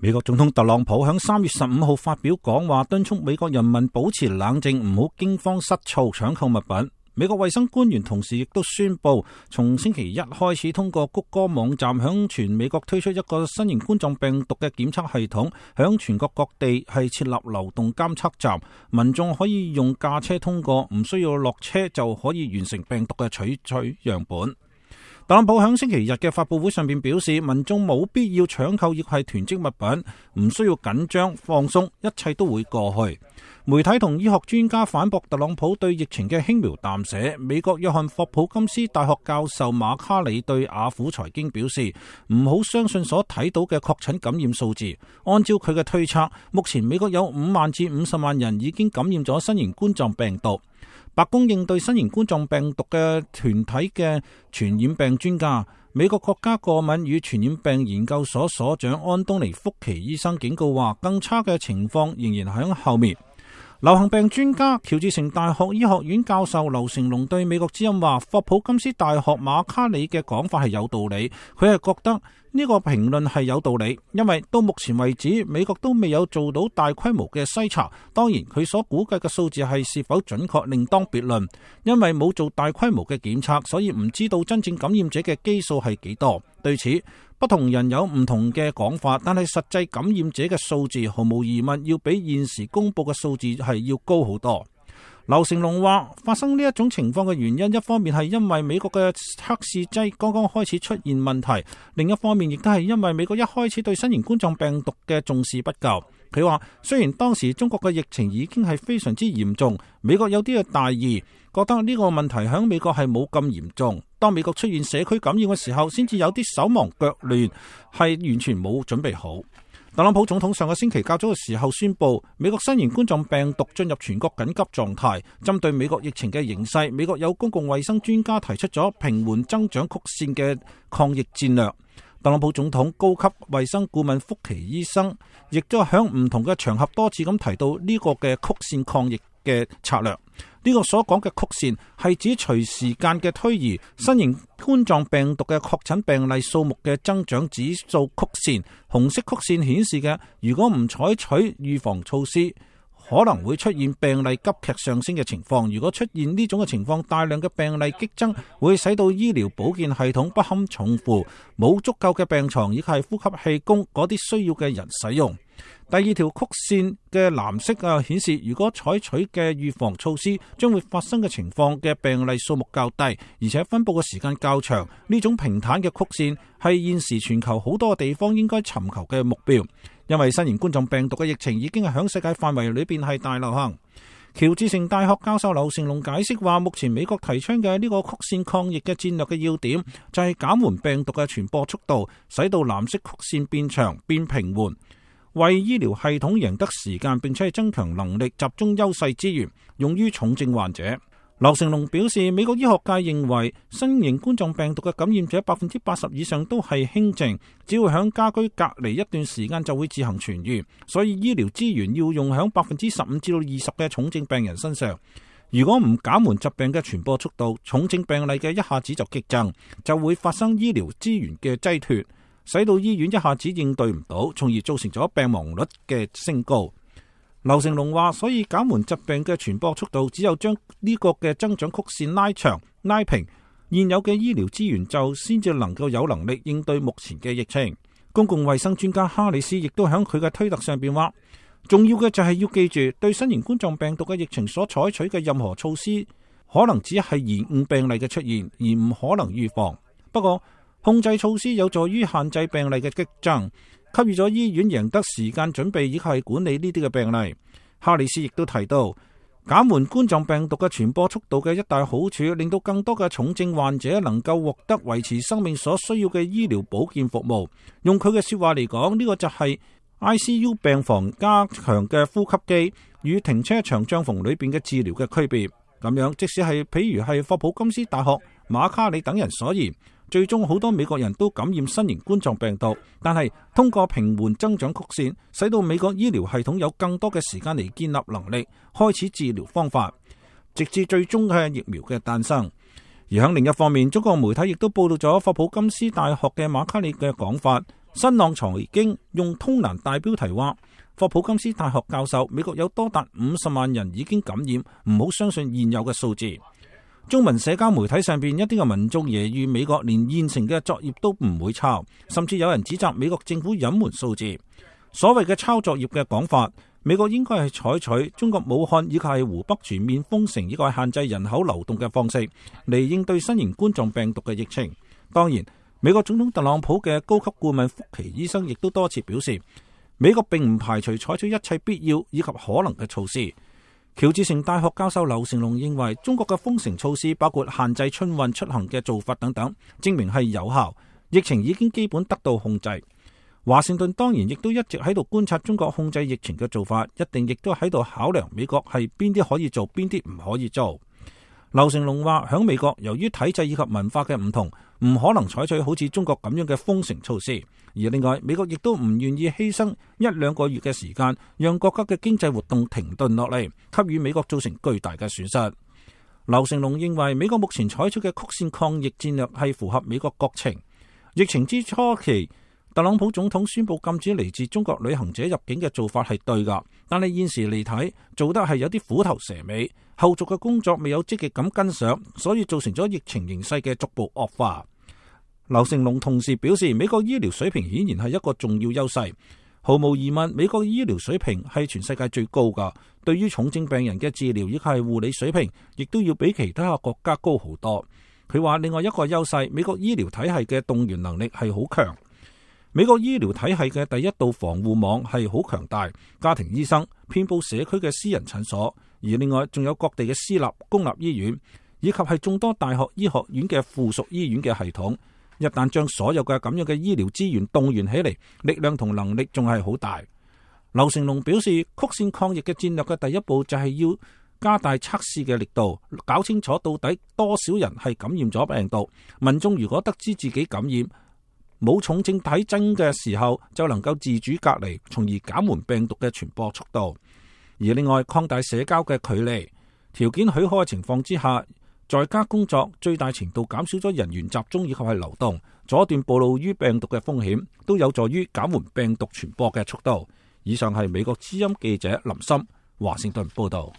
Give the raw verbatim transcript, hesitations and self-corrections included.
美國總統特朗普響三月十五號發表講話，敦促美國人民保持冷靜，唔好驚慌失措搶購物品。美國衛生官員同時亦都宣布，從星期一開始，通過谷歌網站響全美國推出一個新型冠狀病毒嘅檢測系統，響全國各地係設立流動監測站，民眾可以用駕車通過，唔需要落車就可以完成病毒嘅取取樣本。特朗普響星期日嘅發佈會上面表示，民眾冇必要搶購亦係囤積物品，唔需要緊張放鬆，一切都會過去。媒體同醫學專家反駁特朗普對疫情嘅輕描淡寫。美國約翰霍普金斯大學教授馬卡里對雅虎財經表示，唔好相信所睇到嘅確診感染數字。按照佢嘅推測，目前美國有五萬至五十萬人已經感染咗新型冠狀病毒。白宮應對新型冠狀病毒嘅團體嘅傳染病專家，美國國家過敏與傳染病研究所所長安東尼福奇醫生警告話，更差嘅情況仍然喺後面。流行病專家喬治城大學醫學院教授劉成龍對美國之音話，霍普金斯大學馬卡里嘅講法係有道理，佢係覺得呢個評論係有道理，因為到目前為止美國都未有做到大規模嘅篩查。當然佢所估計嘅數字係是否準確另當別論，因為冇做大規模嘅檢測，所以唔知道真正感染者嘅基數係幾多。對此不同人有唔同嘅講法，但係實際感染者嘅數字毫無疑問要比現時公布嘅數字係要高好多。劉成龍話，發生呢一種情況嘅原因，一方面係因為美國嘅測試劑剛剛開始出現問題，另一方面亦都係因為美國一開始對新型冠狀病毒嘅重視不夠。佢話，雖然當時中國嘅疫情已經係非常之嚴重，美國有啲嘅大意，覺得呢個問題喺美國係冇咁嚴重。當美國出現社區感染嘅時候，先至有啲手忙腳亂，係完全冇準備好。特朗普總統上個星期較早嘅時候宣布，美國新型冠狀病毒進入全國緊急狀態。針對美國疫情嘅形勢，美國有公共衛生專家提出咗平緩增長曲線嘅抗疫戰略。特朗普總統高級衛生顧問福奇醫生亦都喺唔同嘅場合多次咁提到呢個嘅曲線抗疫嘅策略。呢個所講嘅曲線係指隨時間嘅推移，新型冠狀病毒嘅確診病例數目嘅增長指數曲線。紅色曲線顯示嘅，如果唔採取預防措施，可能會出現病例急劇上升嘅情況。如果出現呢種嘅情況，大量嘅病例激增，會使到醫療保健系統不堪重負，冇足夠嘅病床以及係呼吸器供嗰啲需要嘅人使用。第二條曲線嘅藍色啊，顯示如果採取嘅預防措施將會發生嘅情況嘅病例數目較低，而且分佈嘅時間較長。呢種平坦嘅曲線係現時全球好多地方應該尋求嘅目標，因為新型冠狀病毒嘅疫情已經係響世界範圍裏邊係大流行。喬治城大學教授劉成龍解釋話，目前美國提倡嘅呢個曲線抗疫嘅戰略嘅要點就係減緩病毒嘅傳播速度，使到藍色曲線變長變平緩，為醫療系統贏得時間，並且係增強能力，集中優勢資源用於重症患者。劉成龍表示，美國醫學界認為新型冠狀病毒嘅感染者百分之八十以上都係輕症，只要響家居隔離一段時間就會自行痊癒，所以醫療資源要用響百分之十五至到二十嘅重症病人身上。如果唔減緩疾病嘅傳播速度，重症病例嘅一下子就激增，就會發生醫療資源嘅擠脫，使到醫院一下子應對唔到，從而造成咗病亡率嘅升高。劉成龍話，所以減緩疾病嘅傳播速度，只有將呢個嘅增長曲線拉長拉平，現有嘅醫療資源就先至能夠有能力應對目前嘅疫情。公共衛生專家哈里斯亦都喺佢嘅推特上邊話，重要嘅就係要記住，對新型冠狀病毒嘅疫情所採取嘅任何措施，可能只係延誤病例嘅出現，而唔可能預防。不過控制措施有助於限制病例嘅激增，給予咗醫院贏得時間準備以及係管理呢啲嘅病例。哈里斯亦都提到，減緩冠狀病毒嘅傳播速度嘅一大好處，令到更多嘅重症患者能夠獲得維持生命所需要嘅醫療保健服務。用佢嘅說話嚟講，呢個就係 I C U 病房加強嘅呼吸機與停車場帳篷裏邊嘅治療嘅區別。咁樣，即使係譬如係霍普金斯大學、馬卡里等人所言，最終好多美國人都感染新型冠狀病毒，但係通過平緩增長曲線，使到美國醫療系統有更多嘅時間嚟建立能力，開始治療方法，直至最終嘅疫苗嘅誕生。而喺另一方面，中國媒體亦都報道咗霍普金斯大學嘅馬卡里嘅講法，新浪財經用通欄大標題話，霍普金斯大學教授，美國有多達五十萬人已經感染，唔好相信現有嘅數字。中文社交媒體上邊一啲嘅民眾揶揄美國連現成嘅作業都唔會抄，甚至有人指責美國政府隱瞞數字。所謂嘅抄作業嘅講法，美國應該係採取中國武漢以及係湖北全面封城以及係限制人口流動嘅方式嚟應對新型冠狀病毒嘅疫情。當然，美國總統特朗普嘅高級顧問福奇醫生亦都多次表示，美國並唔排除採取一切必要以及可能嘅措施。喬治城大學教授劉成龍認為，中國嘅封城措施包括限制春運出行嘅做法等等，證明係有效，疫情已經基本得到控制。華盛頓當然亦都一直喺度觀察中國控制疫情嘅做法，一定亦都喺度考量美國係邊啲可以做，邊啲唔可以做。劉成龍話，響美國由於體制以及文化嘅唔同，唔可能採取好似中國咁樣嘅封城措施。而另外，美國亦都唔願意犧牲一兩個月嘅時間，讓國家嘅經濟活動停頓落嚟，給予美國造成巨大嘅損失。劉成龍認為，美國目前採取嘅曲線抗疫戰略係符合美國國情。疫情之初期，特朗普總統宣布禁止嚟自中國旅行者入境嘅做法係對㗎，但係現時嚟睇，做得係有啲虎頭蛇尾，後續嘅工作未有積極咁跟上，所以造成咗疫情形勢嘅逐步惡化。劉成龍同時表示，美國醫療水平顯然係一個重要優勢，毫無疑問，美國醫療水平係全世界最高㗎，對於重症病人嘅治療以及係護理水平，亦都要比其他國家高好多。佢話另外一個優勢，美國醫療體系嘅動員能力係好強。美國醫療體系嘅第一道防護網係好強大，家庭醫生遍佈社區嘅私人診所，而另外仲有各地嘅私立公立醫院，以及係眾多大學醫學院嘅附屬醫院嘅系統。一旦將所有嘅咁樣嘅醫療資源動員起嚟，力量同能力仲係好大。劉成龍表示，曲線抗疫嘅戰略嘅第一步就係要加大測試嘅力度，搞清楚到底多少人係感染咗病毒。民眾如果得知自己感染，冇重症體徵嘅時候，就能夠自主隔離，從而減緩病毒嘅傳播速度。而另外，擴大社交嘅距離，條件許可嘅情況之下，在家工作最大程度減少咗人員集中以及係流動，阻斷暴露於病毒嘅風險，都有助於減緩病毒傳播嘅速度。以上係美國之音記者林森華盛頓報道。